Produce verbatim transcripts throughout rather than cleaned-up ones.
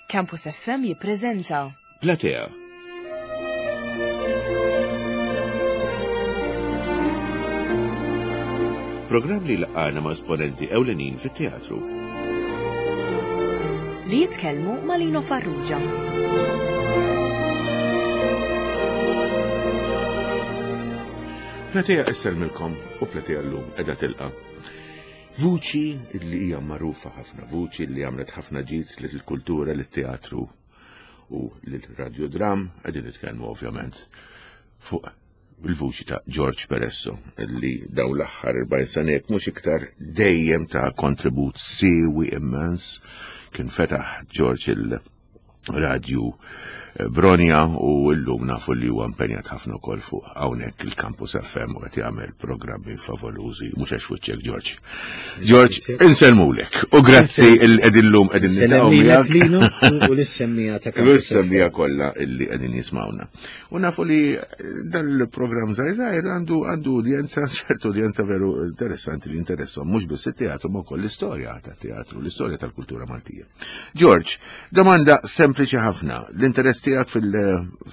Campus F M jippreżenta Platea. Programm li laqana ma' esponenti ewlenin fit-teatru. Li jitkellmu ma' Lino Farrugia. Platea issellmilkom u Platea llum qiegħda tilqa' vuċi li hija magħrufa ħafna, vuċi li għamlet ħafna ġid lill-kultura, lit-teatru u lill-radiodram, qegħdin nitkellmu ovvjament fuq il-vuċi ta' George Peresso, li daw l-aħħar erbgħin sena jekk mhux iktar dejjem ta' kontribut siewi immens. Kien fetaħ George il-radju eh, Bronja u llum nafu li huwa impenjat ħafna wkoll fuq hawnhekk il-Campus F M u qed jagħmel programmi favolużi, mhux għax wiċċek, George. George, insellmulek u grazzi il qegħdin llum qegħdin niltaqgħu Sellem miegħek. Lino u lis-semmiegħa ta' Campus. L-semmija kollha illi qegħdin jismawna. U nafu li dal-programm żgħir għandu għandu udjenza, ċertu udjenza veru interessanti li interessom mhux biss it-teatru ma wkoll l-istorja tat-teatru, l-istorja tal-kultura Maltija. George, domanda sempliċi ħafna. L-interess tiegħek fil-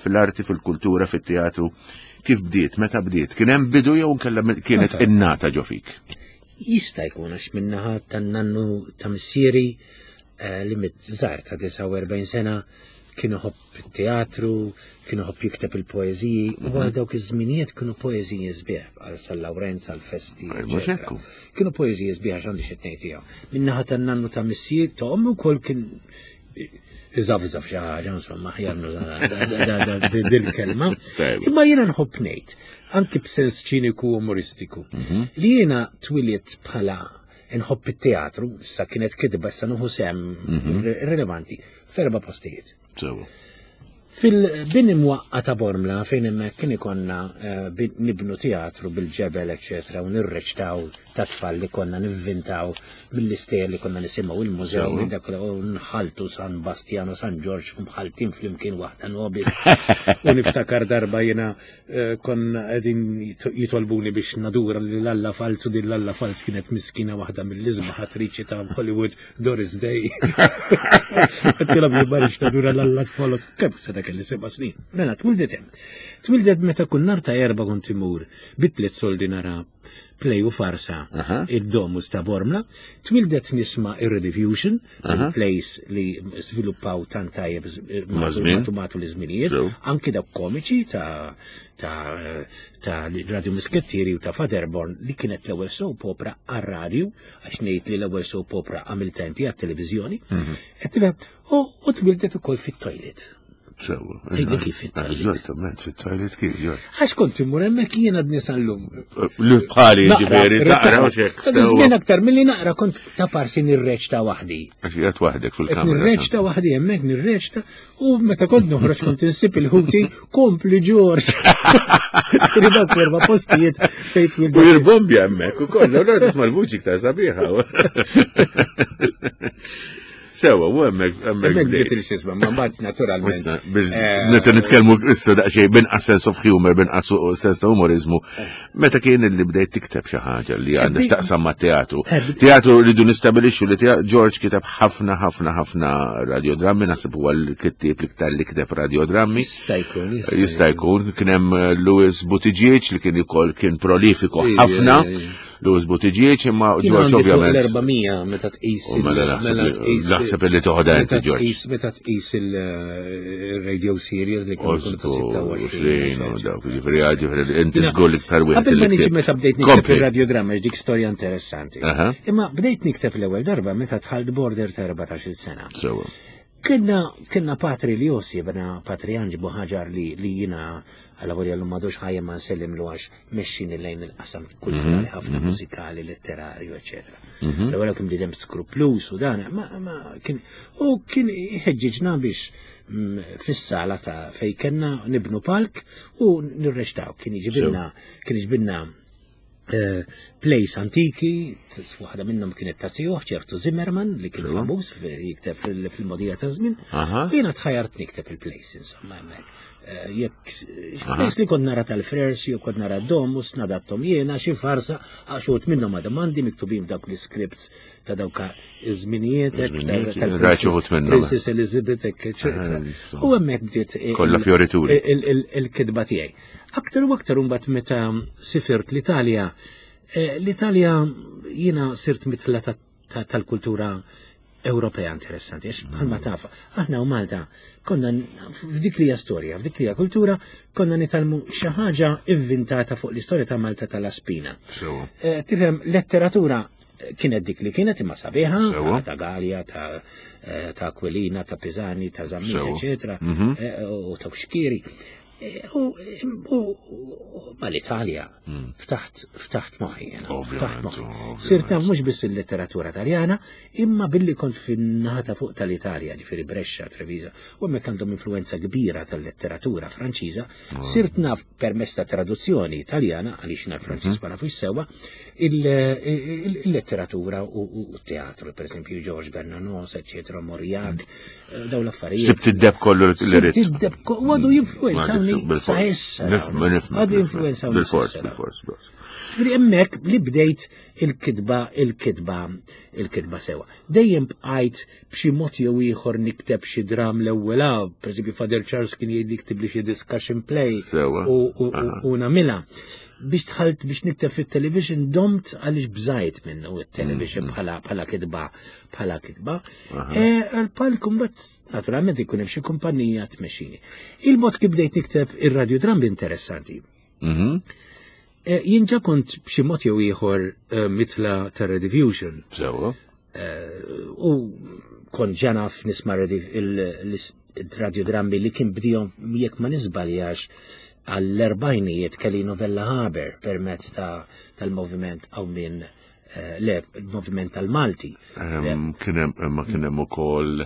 fil-arti, fil-kultura, fit-teatru, kif bdiet, meta bdiet? Kien hemm bidu jew nkella kienet innata ġo fik? Jista' jkun għax min-naħa tan-nannu ta' missieri eh, li miet żgħir ta' disgħa u erbgħin sena kien iħobb teatru, kien iħobb jikteb il-poeżiji, u għal dawk iż-żminijiet kienu poeżiji sbieħ għal San Lawrenz, għal festi. Eh, mhux eċetera. hekk. Kienu poeżiji sbieħ għax għandi xi tnejn tiegħu. Min-naħa tan-nannu ta' missier ta' ommi wkoll kien iżafżaf xi ħaġa, insomma, aħjar dil-kelma. Tajba. Imma jiena nħobb ngħid, anki b'sens ċiniku umoristiku, li jiena twilidt bħala nħobb it-teatru, issa kienet kidba, issa nieħu sehem rilevanti, f'erba' postijiet. Sewa. Fil-bini mwaqqa ta' Bormla, fejn hemmhekk kien ikonna eh, bin- nibnu teatru bil-ġebel, eċetera, u nirreċtaw ta' tfal li konna nivvintaw mill-istejjer li konna nisimgħu il-mużew Sewa. minn dak u nħaltu San Bastiano, San Ġorġ, mħaltin flimkien waħda nobis. U niftakar darba jiena eh, konna qegħdin jit- jitolbuni biex nadura li l-Alla falsu, din l-Alla fals kienet miskina waħda mill-isbaħ attriċi ta' Hollywood, Doris Day. Għedtilhom li marriċ nadura l-Alla falsu. Kemm seta kelli seba' snin. Mela, twildet hemm. Twildet meta kull nhar ta' Erbgħa kont imur bit-tliet soldi nara play u farsa Aha. id-Domus ta' Bormla. Twildet nisma' ir-Rediffusion, Aha. il-plays li sviluppaw tant tajjeb Ma' żmien. matu matu l-żminijiet, Sew. anki dawk komiċi ta' ta' ta' Radio Muskettieri u ta' Faderborn li kienet l-ewwel soap opera għar-radju, għax ngħid li l-ewwel soap opera għamilta inti għat-televiżjoni. Qed tifhem? U u twildet ukoll fit-toilet. Sewa. Tgħidli kif fit-toilet? Eżattament, fit-toilet kif, George. Għax kont immur hemmhekk jiena għadni sal-lum. Li bħali ġifieri, taqra u xek. Ta' żmien aktar milli naqra kont ta' parsi nirreċta waħdi. Għax qiegħed waħdek Qed fil-kamra. nirreċta waħdi hemmhekk nirreċta u meta kont noħroġ kont insib il-ħuti kompli, George. Kien dawk erba' postijiet fejn U twildet. jirbombja hemmhekk ukoll, allura tisma' l-vuċi iktar sabiħa. Sewa, u hemmhekk hemmhekk Hemmhekk bdejt. bdiet il-sisma, ma mbagħad naturalment. Issa, bil- eh, Meta nitkellmu issa daqsxejn binqas sense of humor, binqas sense ta' umorizmu. Meta kien li bdejt tikteb xi ħaġa li għandha x'taqsam ma' teatru? Eh, bdejt- Teatru rridu nistabilixxu li tea- George kiteb ħafna ħafna ħafna radiodrammi, naħseb huwa l-kittieb l-iktar li kiteb radiodrammi. Jista' jkun, Jista' jkun, kien hemm eh, Louis Buttigieg li kien ukoll kien prolifiku Ija, ħafna. ija, ija. Louis Buttigieg imma Jien George għandi fuq ovvjament. l-erba' mija meta tqis U mela il- naħseb mela li- tqis- naħseb li toħodha inti, meta George. tqis- Meta tqis il-radio series li kienu kienu ta' Osbu, sitta u għoxrin. dawk, ġifieri, ġifieri, inti żgur iktar wieħed Qabel ma li niġi ktibt. meta bdejt nikteb Kompli. il-radiodrama, dik storja interessanti. Aha. Imma bdejt nikteb l-ewwel darba meta dħalt border ta' erbatax-il sena. Sewa. Kienna, kienna patri li josibna, patri Anġi Buħaġar li, li jina għalla volja l madux ħajja ma nsellim lu għax mexxini lejn il-qasam kulturali ħafna, mużikali, letterarju, eccetera. L-ewwel kien bniedem skruplus u dan, ma, ma kien u kien ħeġġiġna biex mm, fis-sala ta' fej kellna nibnu palk u nirreċtaw. Kien iġibilna, kien iġibilna eh, plays antiki, t- waħda minnhom kienet ta' zijuh, ċertu Zimmerman, li kien famuż fi- jikteb fil- fil-modija ta' żmien. Aha. Jiena tħajart nikteb il-plays, insomma, hemmhekk. Eh, jekk plays li kont nara tal-Frers, jew kont nara Domus, nadattom jiena, xi farsa, għax uħud minnhom għadhom għandi miktubin dawk l-scripts ta' dawk iż-żminijiet, Iż-żminijiet, rajt xi wħud minnhom. Princess Elizabeth, eccetera. Eh, U hemmhekk bdiet il- Kollha fjorituri. il- il- il-kitba tiegħi. Aktar u aktar imbagħad meta sifirt l-Italja, eh, l-Italja jiena sirt mitla ta- ta- tal-kultura Ewropea interessanti, għax bħalma taf, aħna u Malta konna n- f'dik li hija storja, f'dik li hija kultura, konna nitgħallmu xi ħaġa ivvintata fuq l-istorja ta' Malta tal-Aspina. Sewwa. Eh, Tifhem, letteratura eh, kienet dik li kienet imma sabiħa, Sewwa. ta' Gallia, ta' eh, ta' Aquilina, ta' Pisani, ta' Zammit, Sewwa. eccetera, Mhm. eh, u ta' Xkiri. Eh, U u- u- ma l-Italja ftaħt ftaħt moħħi jiena, Ovvjament, ftaħt moħħi. ovvjament. Sirt naf mhux biss il-letteratura taljana, imma billi kont fin-naħa ta' fuq tal-Italja, ġifieri Brescia, Treviso, u hemmhekk għandhom influenza kbira tal-letteratura Franċiża, sirt naf permezz ta' traduzzjoni italjana, għaliex naf Franċiż ma nafux sewwa, il- il- il-letteratura u u t-teatru, per esempio George Bernanos, eccetera, Mauriac, eh, daw l-affarijiet. Sibt id-deb kollu li Sibt ridt. id-deb ko- u għadu jinfluenzawni sa issa. Nifhem, nifhem. Għadu jinfluenzawni sa Bil-fors, issa. bil-fors, bil-fors. Ġifieri hemmhekk li bdejt il-kitba, il-kitba, il-kitba sewa. Dejjem bqajt b'xi mod jew ieħor nikteb xi dram l-ewwel, ah, pereżempju Father Charles kien jgħid jikteb li xi discussion play Sewa. u, u, Aha. u, u nagħmilha. Biex dħalt biex nikteb fit-television domt għaliex bżajt minnu it-television bħala bħala kitba bħala kitba. Eh, Għal-palk mbagħad naturalment ikun hemm xi kumpanija tmexxini. Il-mod kif bdejt nikteb ir-radiodram interessanti. Mhm. Eh, Jien ġa kont b'xi mod jew ieħor eh, mitla ta' Rediffusion Sewwa. u kont ġa naf nisma' il-radiodrammi li kien bdihom jekk ma nisbaljax għall-erbajnijiet Kelino Vella Haber permezz ta' tal-moviment għaw minn eh, le, il-moviment tal-Malti. Ehm, Kien hemm imma kien hemm ukoll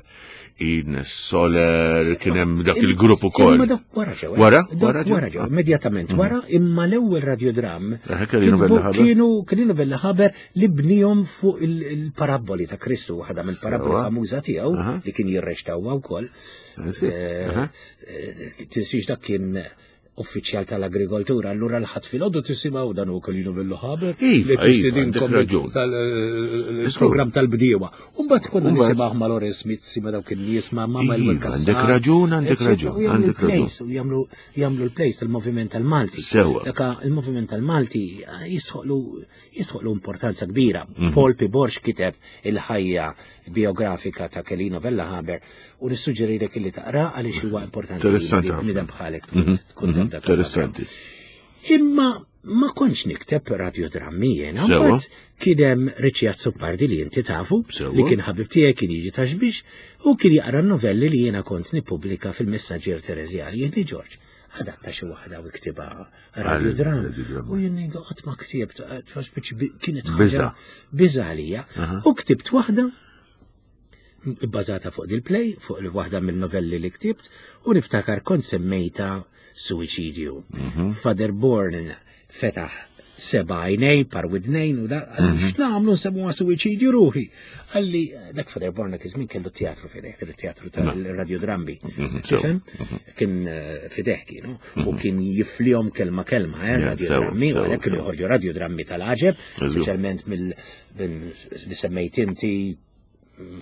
Ines Soler, kien hemm dak il-grupp ukoll. Imma dak wara ġew. eh? Wara? Dak Wara ġew? Wara ġew, immedjatament wara, imma l-ewwel radiodram Eh, Kelino kitbu- Vella Haber. kienu Kelino Vella Haber li bnihom fuq il- il-paraboli ta' Kristu, waħda mill-paraboli Sewa. famuża tiegħu Aha. li kien jirreċtawha wkoll. Eh, sì. Eh, Aha. eh, Tinsiex dak kien uffiċjal tal-agrikoltura, allura l-ħadd filgħodu tisimgħu dan hu Kelino Vella Haber Iva, li iva, tixtidinkom għandek raġun. tal-programm tal-bdiewa. Umbagħad konna Umbagħad- nisimgħu ma' Lawrence Mizzi ma' dawk in-nies ma' ma' Iva, Manuel għandek raġun, għandek raġun, U jagħmlu għandek raġun. l-plays, u jagħmlu jagħmlu l-plays tal-moviment tal-Malti. Sewwa. Daka il-moviment tal-Malti eh, jistħoqlu jistħoqlu importanza kbira. Mhm. Paul P. Borg kiteb il-ħajja biografika ta' Kelino Vella Haber u nissuġġerilek illi taqra għaliex huwa importanti. Interessanti li ħafna. bniedem bħalek Mhm, tkun mhm, taf dak Interessanti. Imma ma kontx nikteb radiodrammi jiena, Sewwa. mbagħad kien hemm Richie Azzopardi li inti tafu, Sewwa. li kien ħabib tiegħi kien jiġi Ta' Xbiex u kien jaqra novelli li jiena kont nippubblika fil-Messaġġier Tereżjani, jgħidli George, adatta xi waħda u ktibha radiodram. radiodram. U jien ngħidlu qatt ma ktibt, għax kienet Biża'. ħaġa biża għalija. Aha. U ktibt waħda bbażata fuq dil-play, fuq il-waħda mill-novelli li ktibt, u niftakar kont semmejta Suicidju. Mhm. Father Bourne fetaħ seba' għajnejn, par widnejn, u da, qalli, x'nagħmlu nsemmuha suwiċidju ruħi. Qalli, dak Father Bourne dak iż-żmien kellu teatru fideh, kellu teatru tal-radiodrammi. Mhm, sew. Tifhem? Kien eh, fideh kienu, u kien jiflihom kelma kelma, eh, Ja, radiodrammi, sew, u għalhekk kienu sew. joħorġu radiodrammi tal-għaġeb, Eżu. speċjalment mill minn- li semmejt inti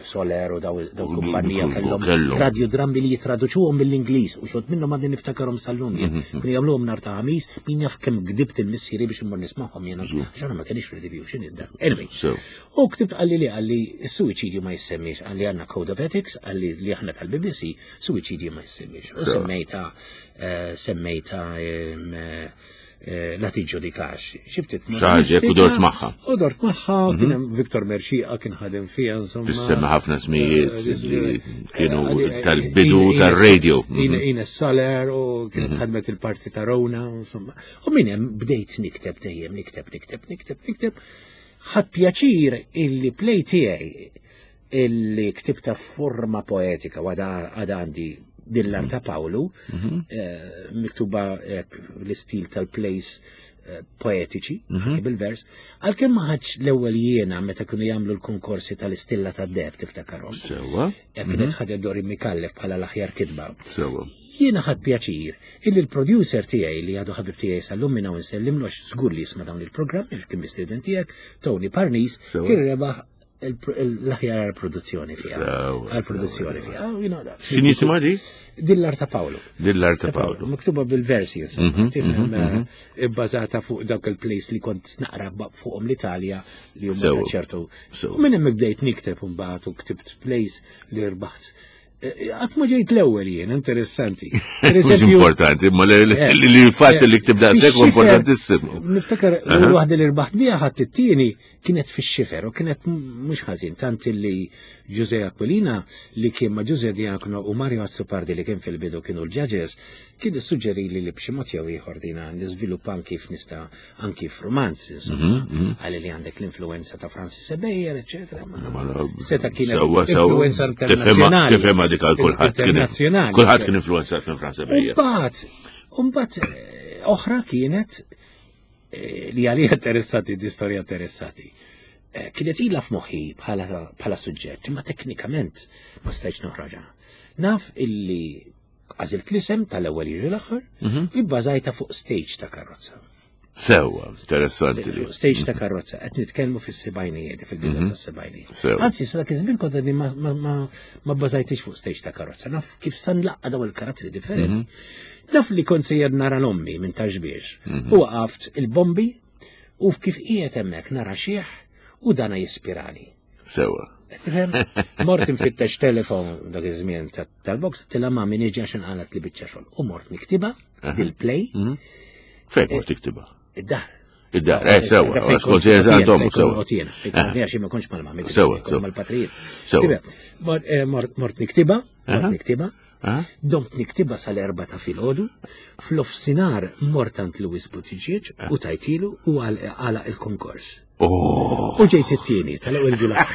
Soler u daw daw U kumpanija u kellhom kellhom. radiodrammi li jitraduċuhom mill-Ingliż u xod minnhom għadni niftakarhom sal-lum jien. Mhm. Kienu jagħmluhom nhar ta' ħamis, min jaf kemm gdibt il-missieri biex immur nismagħhom jiena. Għax aħna ma kienx fil-review id-dar. Anyway. Sew. U ktibt qalli li qalli s-suwiċidju ma jissemmix, qalli għandna Code of Ethics, qalli li aħna tal-B B C, suwiċidju ma jissemmix. U Sew. semmejta, eh, semmejta em, eh, eh, la tiġġudikax. Xiftit Xaġek u dort magħha. U dort magħha, kien hemm Viktor Merxieqa kien ħadem fija, insomma. Tissemma ħafna smijiet Eh, li kienu eh, tal-bidu Ines- tal-radio. Ine- Ines Soler u kienet ħadmet il-parti ta' Rona, insomma. U minn hemm bdejt nikteb dejjem, nikteb, nikteb, nikteb, nikteb. Ħadt pjaċir illi play tiegħi illi ktibta forma poetika u għada għada għandi din l ta' Pawlu, eh, miktuba hekk l-istil tal-plays eh, poetiċi, anke bil-vers, għalkemm ma ħadx l-ewwel jiena meta kienu jagħmlu l-konkorsi tal-Istilla tad-Deheb tiftakarhom. Sewwa, Jekk kienet ħadet Dorin Micallef bħala l-aħjar kitba. sewwa. Jiena ħadt pjaċir illi l-producer tiegħi li għadu ħabib tiegħi sal-lum minn hawn insellimlu għax żgur li jisma' dawn il-programm, il kien mistieden tiegħek, Tony Parnis, Sewwa. kien rebaħ il- l-aħjar produzzjoni fiha. Sewwa, Għal-produzzjoni sewwa. fiha. You know that. X'inhi jisimha di? Dil-Art ta' Paolo. Dil-Art ta' Paolo. Miktuba bil-versi, insomma, Mhm, tifhem, mhm, mhm. eh, bbażata fuq dawk il-plays li kont naqra ba- fuqhom l-Italja li huma Sewwa. ta' ċertu. Sewwa. U minn hemm bdejt nikteb mbagħad u ktibt plays li rbaħt. Eh, Qatt ma ġejt l-ewwel jien, interessanti. Per Mhux eżempju, importanti, ma li Eh, li- li l-fatt li ktib daqshekk huwa Fix-xifer, importantissimu. Niftakar Aha. l waħda li rbaħt biha ħadd it-tieni kienet fix-xifer u kienet mhux ħażin tant li Giuseppe Aquilina li kien ma' Giuseppe Diacono u Mario Azzopardi li kien fil-bidu kienu l-judges kien issuġġeri li li b'xi mod jew ieħor dina niżviluppa anki f'nista anki f'romanz insomma Mhm, għalli li għandek l-influenza ta' Francis Ebejer, eċetera. ma- Ma- Seta kienet Sewwa, sewwa. influenza Tifhimha- internazzjonali. Tifhimha dik għal kulħadd. kien- Internazzjonali. Kulħadd kien influenzat minn Francis Ebejer. Umbagħad, umbagħad eh, oħra kienet eh, li għalija interessati, di storja interessati. Eh, Kienet ila f'moħħi bħala bħala suġġett, imma teknikament ma stajtx noħroġha. Naf illi għażilt l-isem tal-ewwel jiġi l-aħħar, Mhm. ibbażajta fuq stage ta' karozza. Sewwa, interessanti li. Fuq stage ta' karozza, qed nitkellmu fis-sebgħinijiet, fil-bidu tas-sebgħinijiet. Sewwa. Anzi, sa dak iż-żmien kont għadni ma, ma, ma, ma bbażajtix fuq stage ta' karozza. Naf kif sa nlaqqa' daw il-karattri differenti. Naf li kont sejjer nara l-ommi minn Ta' Xbiex. U waqaft il-bombi u kif qiegħed hemmhekk nara xiħ u dana jispirani. Sewwa. Tifhem? Mort infittex telefon dak iż-żmien ta- tal-box, tila ma min iġi għax inqalat li biċċa xogħol. U mort niktiba dil-play Mhm. Fejn mort tiktibha? id-dar. Id-dar, eh, sewwa, Fejn skont kont sejjer jien, għandhom, fejn sewwa. kont jien, fejn kont jien, għax ma kontx mal-mami, Sewwa, kont sewwa. mal-patrijiet. Sewwa. Tifhem? Mort- eh, Mort mort niktiba, mort Aha. niktiba, Ah? domt niktiba sal-erba ta' filgħodu, f'nofsinhar mort għand Louis Buttigieg u tajtilu u għala il-konkors. Oh, U ġejt it-tieni tal-ewwel ġula.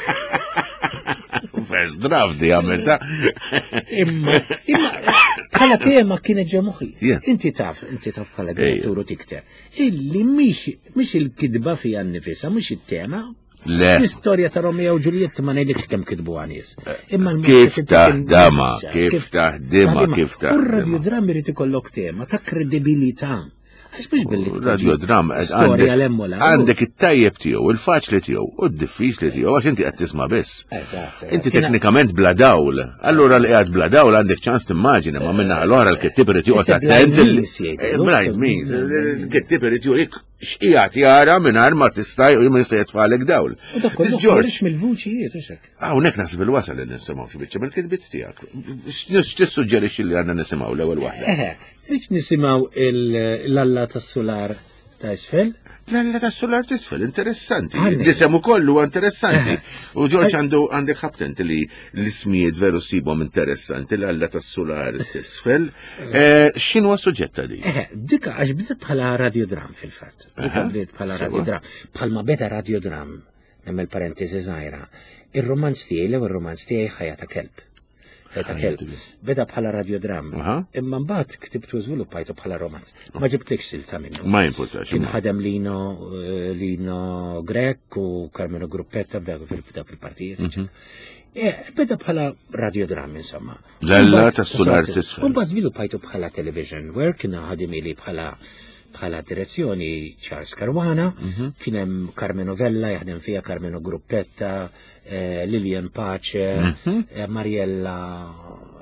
first draft di għamilta. Imma, imma, bħala tema kienet ġo moħħi. Yeah. Inti taf, inti taf bħala direttur u tikteb. Illi mhix mhix il-kidba fija nnifisha, mhix it-tema. Le. L-istorja ta' Romeo u Juliet ma ngħidlekx kemm kitbu nies. Imma Kif l-mod taħdama, kif kif taħdima, kif U taħdima. r-radiodram irid ikollok tema ta' kredibilità. Għax mhux billi Radiodram, storja lemmola. għandek it-tajjeb tiegħu, il-faċli tiegħu, u d-diffiċli tiegħu, għax inti qed tisma' biss. Eżatt. Inti teknikament bla dawl. Allura li qiegħed bla dawl għandek ċans timmaġina, ma minna l-oħra l-kittib irid joqgħod It's a attent. blind il- means, jgħidu. Eh, Blind means. Il-kittib irid jurik x'qiegħed jara mingħajr ma tista' u minn se jitfalek dawl. U dak kollu This George, ħareġ mill-vuċijiet, hux hekk. hawnhekk naħseb il-wasal li nisimgħu xi biċċa mill-kitbiet tiegħek. X'tissuġġerixxi li għandna nisimgħu l-ewwel waħda? Eħe, trid nisimgħu l-Alla tas-Sular ta' isfel? L-Alla tas-Sular t'isfel, interessanti. Għanni. L-isem ukoll huwa interessanti. U George għandu għandek ħabtent li l-ismijiet veru sibhom interessanti, l-Alla tas-Sular t'isfel. Eh, X'inhu suġġett ta' di? Eħe, dika għax bdiet bħala radiodram fil-fatt. Dika Aha, bdiet bħala sewa. radiodram. Bħalma beda radiodram, nagħmel parentesi żgħira. Ir-romanz tiegħi, l-ewwel romanz tiegħi ħajja ta' kelb. Ħajja ta' Ħajja kelb. ta' kelb. Beda bħala radiodram. Aha. Imma mbagħad ktibtu żviluppajtu bħala romanz. Ma ġibtlikx silta minnu. Ma jimpurtax. Kien ħadem Lino, eh, Lino Grech u Carmelo Gruppetta b'dak fil- il-partijiet. Mhm. Eh, Beda bħala radiodram, insomma. L-Alla Mbagħad- tas-Sular t'isfel. Mbagħad żviluppajtu bħala television work, kien ħadimili bħala bħala direzzjoni Charles Caruana, Mhm. kien hemm Carmeno Vella jaħdem fija Carmeno Gruppetta, eh, Lilian Pace, Mhm. eh, Mariella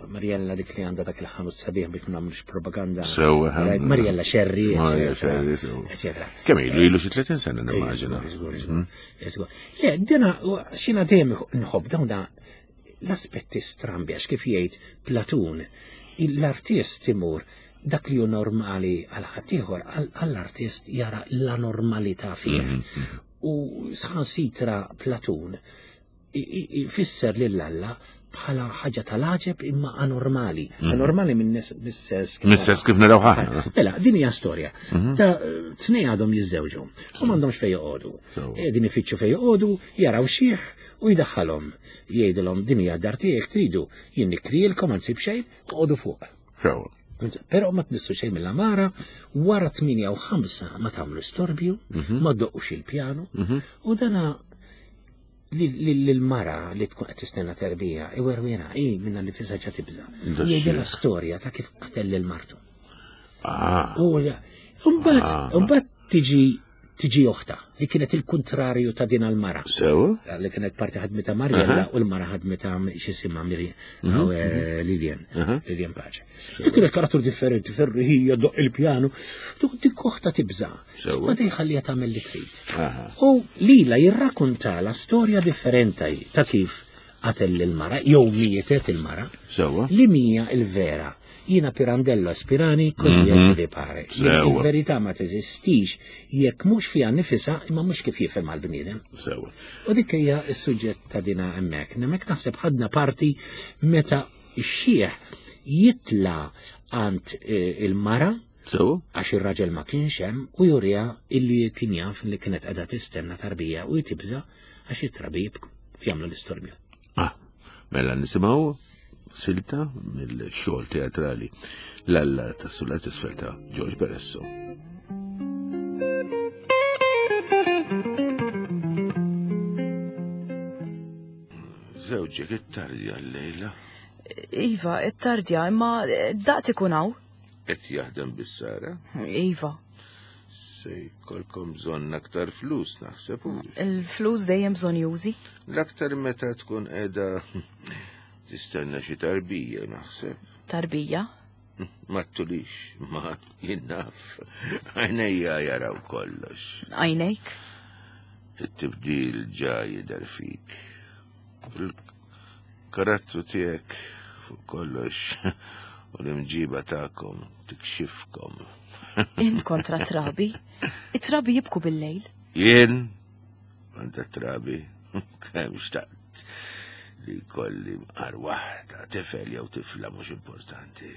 Mariella dik li għandha dak il-ħanut sabiħ biex ma nagħmlux propaganda. Sewa, Right, Mariella Scerri, Mariella eccetera, Scerri, sewa. eccetera. Kemm ilu ilu xi tletin sena nimmaġina. Żgur, żgur, żgur. Le, dina, xina dejjem nħobb dawn da l-aspetti strambi, għax kif jgħid Platun, l-artist imur dak li hu normali għal ħaddieħor, għall-artist jara l-anormalità fih. U saħansitra Platun i- i- ifisser lil Alla bħala ħaġa tal-għaġeb imma anormali. Anormali minn mis-sens kif Mis-sens kif naraw aħna. Mela, din hija storja. Ta' tnej għadhom jiżżewġu u m'għandhomx fejn joqogħdu. Sewa. Eh, Din ifittxu fejn joqogħdu, jaraw xiħ u jdaħħalhom. Jgħidilhom din hija dar tiegħek tridu, jien nikrielkom anzi b'xejn, toqogħdu fuq. Sewa. Però ma tmissu xejn mill-amara, wara tmienja u ħamsa ma tagħmlu storbju, Mhm. ma ddoqqux il-pjanu, u dana l-mara li tkun qed tistenna terbija, iwerwira, hi minna li fisa ġa tibża. Jgħidilha storja ta' kif qatel lil martu. Ah. U mbagħad mbagħad tiġi tiġi oħta li kienet il-kontrarju ta' din għal-mara. Sewa? Li kienet parti ħadmita Marjella u l-mara ħadmita x'jisimha Mhm, Lilian, Lilian Pace. Li kienet karattru differenti, ferriħija, doq il-pjanu, dik oħta tibża. Sewa. Ma tejħallija tagħmel li trid. Aha. U lila jirrakkuntala storja differenti ta' kif qatel il-mara, jew mietet il-mara, Sewa? li mija il-vera. Jina Pirandello Aspirani, così mm -hmm. vi pare. Sewa. Il-verità ma teżistix jekk mhux fiha nifisha imma mhux kif jifhem għall-bniedem. Sewa. U dik hija s-suġġett ta' dina hemmhekk. Hemmhekk naħseb ħadna parti meta x-xieħ jitla għand eh, il-mara Sewa? għax ir-raġel ma kienx hemm u juriha illi kien jaf li kienet qiegħda tistenna tarbija u jtibża għax it-trabi jibku u jagħmlu l-istorbju. Ah, mela nisimgħu silta mill-xogħol teatrali l-Alla tas-Sular t'Isfel ta' George Beresso. Żewġek it-tardja l-lejla Iva, it-tardja, imma daqt ikun hawn. qed jaħdem bis-sara. Iva, Se jkollkom bżonn aktar flus naħseb. u il-flus dejjem bżonn jużi. L-aktar meta tkun qiegħda tistenna xi tarbija naħseb. Tarbija. Ma tulix, ma jinnaf. Għajnejja jaraw kollox. Għajnejk. It-tibdil ġa jidher fik. Il-karattru tiegħek fuq kollox u l-imġiba tagħkom tikxifkom. Int kontra trabi. It-trabi jibku bil-lejl. Jien kontra trabi kemm xtaqt li kolli mqar waħda tifel jew tifla mhux importanti.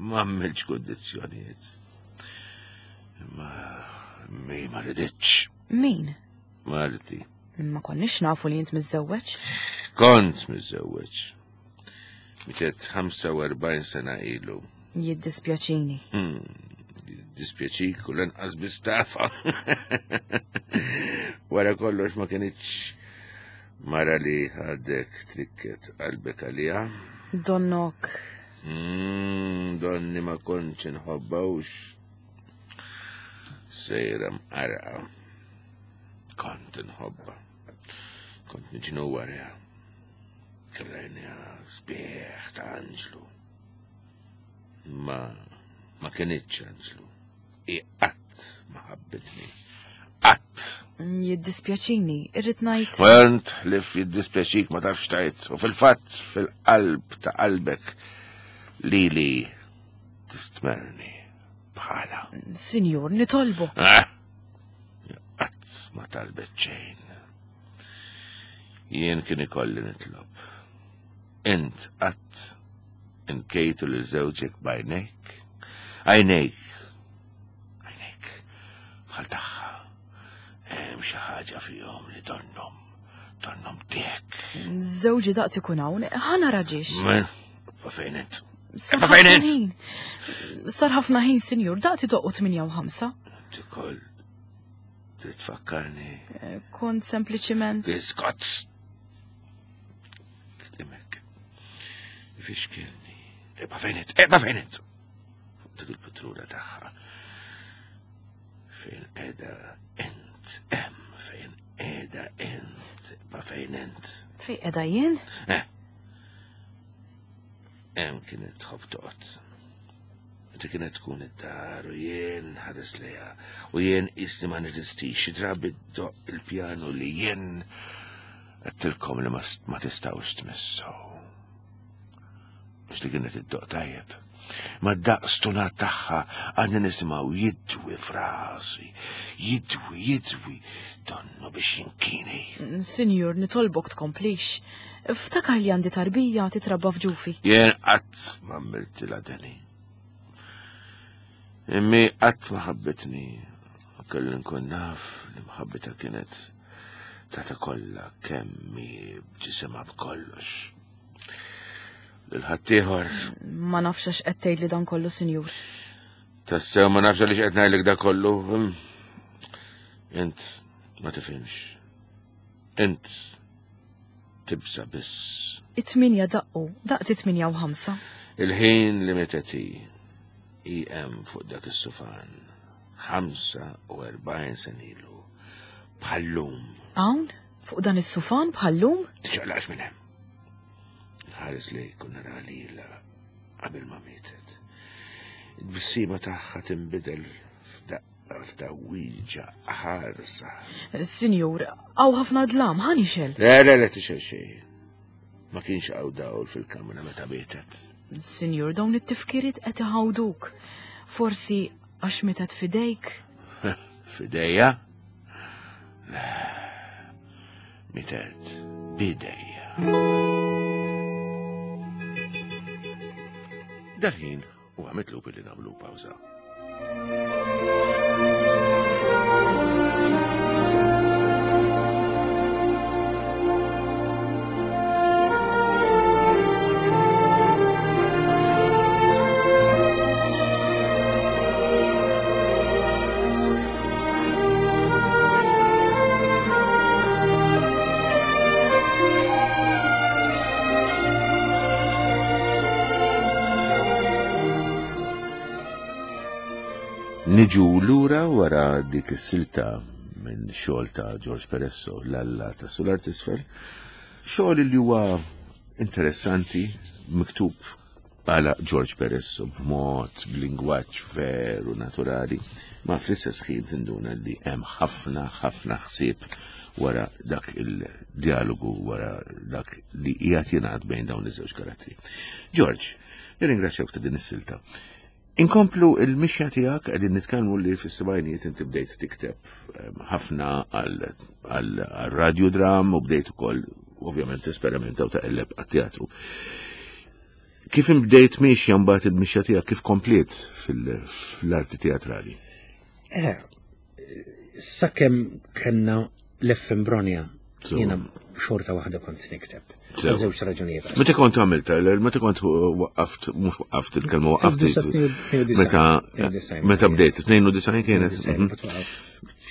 Ma għamilx kundizzjonijiet. Ma mi ma riditx. Min? Marti. Ma konniex nafu li int miżżewweġ. Kont miżżewweġ. Mietet ħamsa u erbgħin sena ilu. Jiddispjaċini. Hmm, Dispjaċik u lanqas bistafa. Wara kollox ma kienitx mara li għadek trikket qalbek għalija. Donnok. Mm, donni ma kontx inħobbawx. Sejra mqarqa. Kont inħobba. Kont niġnu warja. Krajnija sbieħ ta' anġlu. Ma ma kienitx anġlu. I qatt ma ħabbitni. Qatt. Jiddispjaċini, irrid ngħid. Kont li jiddispjaċik ma tafx tajt u fil-fatt fil-qalb ta' qalbek lili tistmerni bħala. Sinjur, nitolbu. Ah! Qatt ma talbet xejn. Jien kien ikolli nitlob. Int qatt inkejtu li żewġek b'għajnejk. Għajnejk. Għajnejk. Bħal tagħha. Hemm xi ħaġa fihom li donnhom. Donnhom tiegħek. Żewġi daqt ikun hawn, ħa nara ġiex. Ma fejn int? Sar Ma fejn ħafna int? ħin. Sar ħafna ħin, sinjur, daqt idoqqu tmienja u ħamsa. Tikol. Trid tfakkarni. Eh, Kont sempliċiment. Biskott. Klimek. Fixkilni. Ibqa' fejn int? Ibqa' fejn int? Fuq dik il-patruna tagħha. Fejn qiegħda int hemm fejn qiegħda int. Ibqa' fejn int. Fejn qiegħda jien? Eh. Hemm kienet tħobb toqgħod. Meta kienet tkun id-dar u jien ħares lejha u jien isni ma neżistix xi drabi ddoqq il-pjanu li jien għedtilkom li ma s- ma tistgħux tmissu. Mhux li kienet iddoqq tajjeb. Ma daqs stunat tagħha għadni nisimgħu jidwi f'rasi, jidwi, jidwi, donnu biex jinkini. Sinjur, nitolbok tkomplix. Ftakar li għandi tarbija titrabba f'ġufi. Jien qatt ma għamiltilha deni. Immi qatt ma ħabbitni. Kelli nkun naf li mħabbita kienet tata kollha kemmi b'ġisimha b'kollox. Lil ħaddieħor. Ma nafx għax qed tgħidli dan kollu, sinjur. Tassew ma nafx għaliex qed ngħidlek da kollu. hm? Int ma tifhimx. Int tibsa biss. It-tminja daqqu, daqt it-tminja u ħamsa. Il-ħin li mietet hi hi hemm fuq dak is-sufan. Ħamsa u erbgħin sena ilu. Bħallum. Hawn, fuq dan is-sufan bħallum? Tiċċaqlaqx minn hemm. Nħares lejk u nara lilha qabel ma mietet. Il-tbissima tagħha tinbidel f'daqqa f'tgħawwiġa ħarsa. Sinjur, hawn ħafna dlam, ħa nixgħel. Le, le, le, tixgħel xejn. Ma kienx hawn dawl fil-kamra meta mietet. Sinjur, dawn it-tifkiriet qed iħawduk. Forsi għax mietet f'idejk. F'idejja? Le, mietet b'idejja. Dal-ħin huwa mitlub li nagħmlu pawża. Niġu lura wara dik is-silta minn xogħol ta' George Peresso, l-Alla ta' Sular t'Isfel, xogħol li huwa interessanti, miktub għala George Peresso b'mod b'lingwaġġ veru naturali, ma fl-istess ħin tinduna li hemm ħafna ħafna ħsieb wara dak il-dialogu, wara dak li qiegħed jingħad bejn dawn iż-żewġ karattri. George, nirringrazzjak ta' din is-silta. Inkomplu il-mixja tiegħek, qegħdin nitkellmu li fis-sebgħinijiet inti bdejt tikteb, ehm, ħafna għal radjodram u bdejt ukoll ovvjament esperimenta u taqleb għat-teatru. Kif bdejt mixja mbagħad il-mixja tiegħek kif kompliet fil-arti teatrali? Eh, sakemm kellna l-F M Bronia, jiena xorta waħda kont nikteb. Sew. Żewġ raġunijiet. Meta kont għamilta, meta kont waqqaft, mhux waqqaft il-kelma waqqaft. Meta meta bdejt, tnejn u disgħin kienet. Mhm.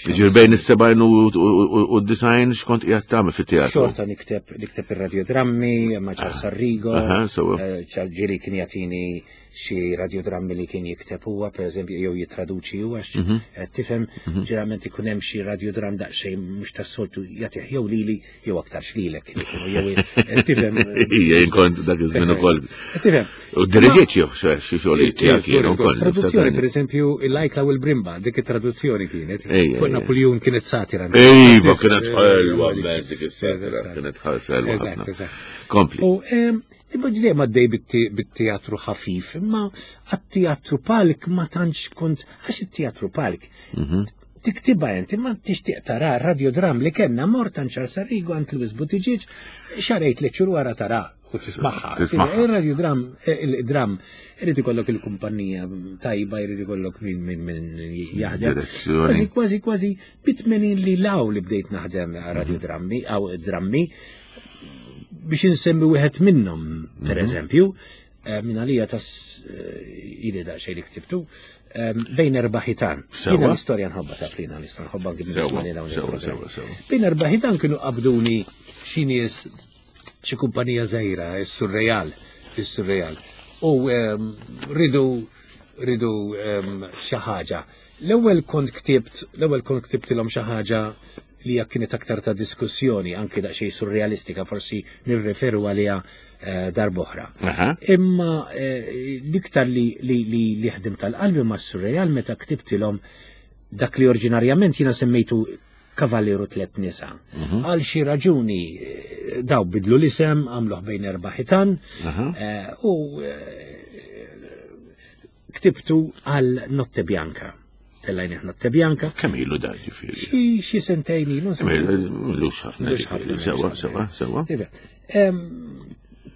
Ġifieri bejn is-sebgħin u d-disgħin x'kont qiegħed tagħmel fit-teatru? Xorta nikteb nikteb ir-radiodrammi ma' Charles Arrigo. Aha, sewa. Eh, Ġieli kien jagħtini xi radiodrammi li kien jikteb huwa, pereżempju, jew jitraduċi huwa, għax Mhm. eh, tifhem ġeneralment ikun hemm xi radiodram daqsxejn mhux tas-soltu jagħtih jew lili jew aktarx lilek kien ikunu, jew eh, tifhem. Ija, jien kont dak iż-żmien ukoll. Tifhem. U diriġiet xi xi xogħlijiet tiegħek jien ukoll. Traduzzjoni, per eżempju, il-Lajkla u l-Brimba, dik it-traduzzjoni kienet. Ejja, Fuq ejja. Napoleon kienet satira. Iva, kienet ħelwa, mezz dik is-satira, kienet ħelwa Eżatt, ħafna. eżatt. Kompli. U em, imma ġdejjem għaddej bit- bit-teatru ħafif, imma għat-teatru palk ma tantx kont, għax it-teatru palk Mhm. tiktibha inti ma tixtieq tara radiodram li kellna mort għand Charles Arrigo għand Louis Buttigieg xarejt li ċur wara tara u tismagħha. Tismagħha. Il-radiodram, il-dram, irid ikollok il-kumpanija tajba, irid ikollok min min min jaħdem. Direzzjoni. Kważi, kważi, kważi, bit-tmenin li law li bdejt naħdem radiodrammi, aw drammi, biex insemmi wieħed minnhom, per eżempju, eh, minn għalija tas eh, ili daqsxejn li ktibtu, eh, bejn erba' ħitan. Sewa. Jiena l-istorja nħobba taf li jiena l-istorja nħobba anki Sewa, nismani dawn sewa, il-programmi. sewa, sewa. Bejn erba' ħitan kienu qabduni xi nies xi kumpanija żgħira, is-Surreal, is-Surreal. U ehm, ridu ridu ehm, xi ħaġa. L-ewwel kont ktibt, l-ewwel kont ktibtilhom xi ħaġa li hija kienet aktar ta' diskussjoni, anki daqsxejn surrealistika, forsi nirreferu għaliha eh, darb'oħra. Aha. Imma eh, l-iktar li, li, li, li ħdim tal-qalbi ma' surreal meta ktibtilhom dak li oriġinarjament jiena semmejtu Kavalieru Tlet Nisa. Għal xi raġuni eh, daw bidlu l-isem, għamluh bejn erba' ħitan, Aha. eh, u eh, ktibtu għal Notte Bianca. Tellajnih Notte Bianca. Kemm ilu da ġifieri? Xi xi sentejn ilu. Kemm ilu? Ilux ħafna Ilux ġifieri. ħafna, Sewa, ilux sewa, ħafna. sewa. Iva. Em,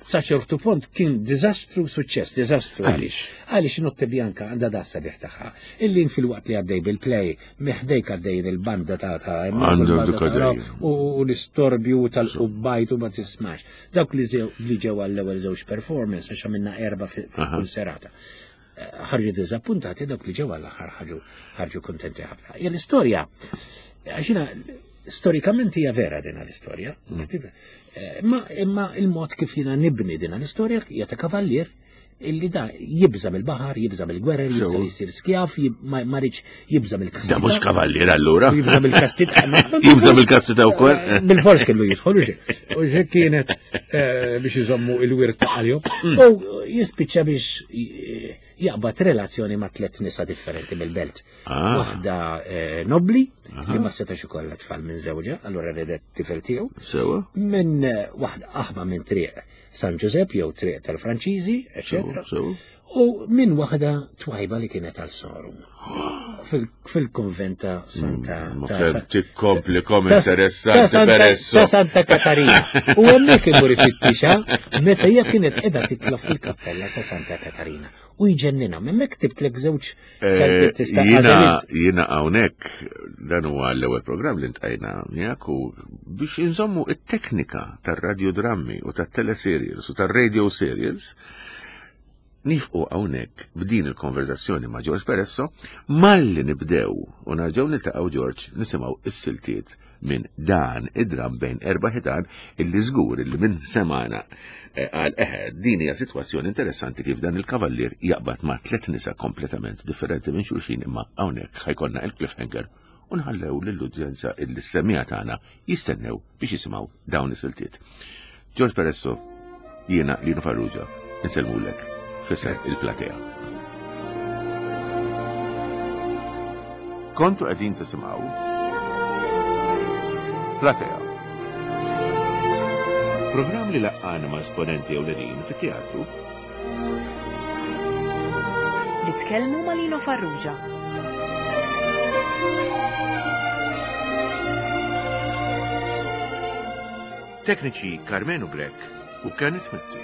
Sa ċertu punt kien diżastru suċċess, diżastru. Għaliex? Għaliex Notte Bianca għandha dassa biħ tagħha. Illi fil-waqt li għaddej bil-play, miħdejk għaddej il-banda ta' ta' Għandu il-banda dik ta' għaddej. u u l-istorbju tal-qubbajt u ma tismax. Dawk li zew- li ġew għall-ewwel żewġ performance għax għamilna erba' fi- Aha. f'kull serata. Eh, Ħarġu diżappuntati dawk li ġew għall-aħħar ħarġu ħarġu kontenti ħafna. Hija l-istorja għax jiena storikament hija vera din l-istorja. Eh, Imma imma il-mod kif jiena nibni din l-istorja hija ta' kavallier illi da jibża mill-baħar, jibża mill-gwerer, jibża Sewa. li jsir skjaf, jib- ma ma rridx jibża mill-kastita. Da mhux kavallier allura. Jibża mill-kastita. Jibża mill-kastita wkoll. Eh, Bil-fors kellu jidħol, u xi- u xi kienet eh, biex iżommu il-wirt ta' għalihom. Mm. U jispiċċa biex eh, jaqbad relazzjoni ma' tliet nisa differenti mill-belt. Ah. Waħda eh, nobli, li ma setax ikollha tfal minn żewġha, allura redet tifel tiegħu. Sewa. Minn eh, waħda aħma minn triq San Giuseppe jew triq tal-Franċiżi, eccetera. Sewa. U minn waħda twajba li kienet għal sorum. Fil- Fil-konvent ta' Santa. Mm, Ma ta' kemm Sa- tikkompli kom ta' ta' interessanti Santa- peresso. Ta' Santa Katarina. U hemmhekk imur ifittixha meta hija kienet qiegħda titla fil-kappella ta' Santa Katarina. U jġennina, hemmhekk tibtlek żewġ Eh, saltiet tista' Jiena għażeliet. jiena hawnhekk dan huwa l-ewwel programm li ntqajna miegħek u biex inżommu it-teknika tar-radiodrammi u tat-teleserials u tar-radio serials nifqu hawnhekk b'din il-konverzazzjoni ma' George Peresso malli nibdew u narġgħu niltaqgħu George nisimgħu is-siltiet minn dan id-dram bejn erba' ħitan illi żgur illi minn semana eh, għal eħe din hija sitwazzjoni interessanti kif dan il-kavallier jaqbad ma' tliet nisa kompletament differenti minn xulxin imma hawnhekk ħajkonna il-cliffhanger u nħallew lill-udjenza illi s-semija tagħna jistennew biex jisimgħu dawn is-siltiet. George Peresso, jiena Lino Farrugia, insellmulek fisser il-platea. Kontu qegħdin tisimgħu Platea. Programm li laqqana ma' esponenti ewlenin fit-teatru Li tkellmu ma' Lino Farrugia. Tekniċi Carmenu Grek u Kenneth Mizzi.